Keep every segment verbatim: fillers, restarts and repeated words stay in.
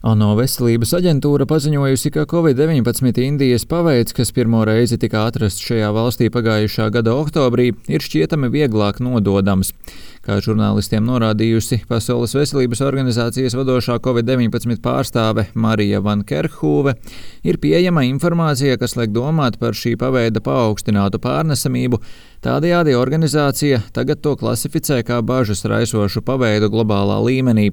ANO veselības aģentūra paziņojusi, ka covid deviņpadsmit Indijas paveids, kas pirmo reizi tika atrasts šajā valstī pagājušā gada oktobrī, ir šķietami vieglāk nododams. Kā žurnālistiem norādījusi Pasaules veselības organizācijas vadošā covid deviņpadsmit pārstāve Marija Van Kerkhove, ir pieejama informācija, kas liek domāt par šī paveida paaugstinātu pārnesamību. Tādējādi organizācija tagad to klasificē kā bažas raisošu paveidu globālā līmenī.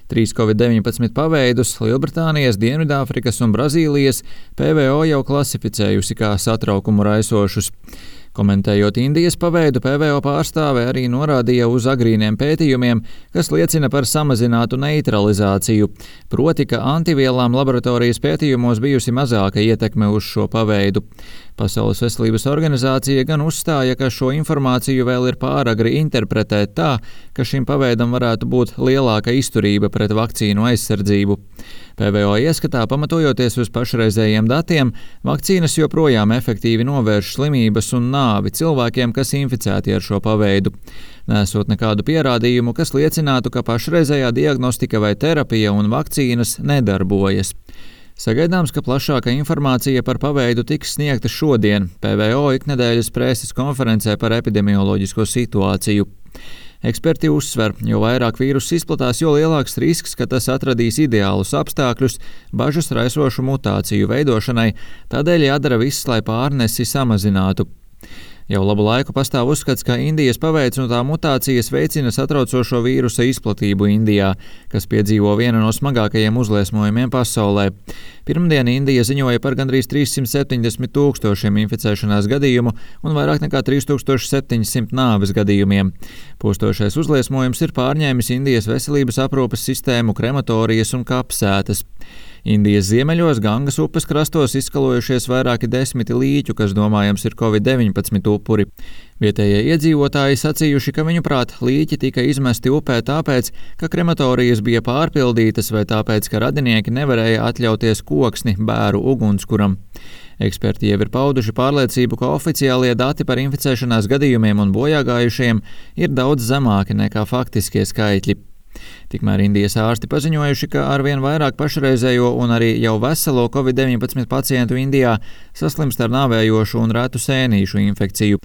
Trīs covid deviņpadsmit paveidus Lielbritānijas, Dienvidāfrikas un Brazīlijas P V O jau klasificējusi kā satraukumu raisošus. Komentējot Indijas paveidu, P V O pārstāve arī norādīja uz agrīniem pētījumiem, kas liecina par samazinātu neutralizāciju, proti, ka antivielām laboratorijas pētījumos bijusi mazāka ietekme uz šo paveidu. Pasaules veselības organizācija gan uzstāja, ka šo informāciju vēl ir pāragri interpretēt tā, ka šim paveidam varētu būt lielāka izturība pret vakcīnu aizsardzību. P V O ieskatā, pamatojoties uz pašreizējiem datiem, vakcīnas joprojām efektīvi novērš slimības un nāvi cilvēkiem, kas inficēti ar šo paveidu. Nesot nekādu pierādījumu, kas liecinātu, ka pašreizējā diagnostika vai terapija un vakcīnas nedarbojas. Sagaidāms, ka plašāka informācija par paveidu tiks sniegta šodien P V O iknedēļas preses konferencē par epidemioloģisko situāciju. Eksperti uzsver, jo vairāk vīruss izplatās, jo lielāks risks, ka tas atradīs ideālus apstākļus bažas raisošu mutāciju veidošanai, tādēļ jādara viss, lai pārnesi samazinātu. Jau labu laiku pastāv uzskats, ka Indijas paveids un tā mutācijas veicina satraucošo vīrusa izplatību Indijā, kas piedzīvo vienu no smagākajiem uzliesmojumiem pasaulē. Pirmdien Indija ziņoja par gandrīz trīssimt septiņdesmit tūkstošiem inficēšanās gadījumu un vairāk nekā trīs tūkstoši septiņi simti nāves gadījumiem. Postošais uzliesmojums ir pārņēmis Indijas veselības aprūpes sistēmu, krematorijas un kapsētas. Indijas ziemeļos Gangas upes krastos izskalojušies vairāki desmiti līķu, kas domājams ir covid deviņpadsmit upuri. Vietējie iedzīvotāji sacījuši, ka viņuprāt līķi tika izmesti upē tāpēc, ka krematorijas bija pārpildītas vai tāpēc, ka radinieki nevarēja atļauties koksni bēru ugunskuram. Eksperti jau ir pauduši pārliecību, ka oficiālie dati par inficēšanās gadījumiem un bojāgājušiem ir daudz zemāki nekā faktiskie skaitļi. Tikmēr Indijas ārsti paziņojuši, ka arvien vairāk pašreizējo un arī jau veselo covid deviņpadsmit pacientu Indijā saslimst ar nāvējošu un retu sēnīšu infekciju.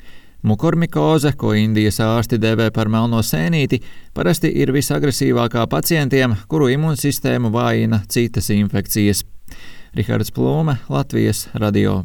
Mukormikoze, ko Indijas ārsti dēvē par melno sēnīti, parasti ir visagresīvākā pacientiem, kuru imūnsistēmu vājina citas infekcijas. Rihards Plūme, Latvijas radio.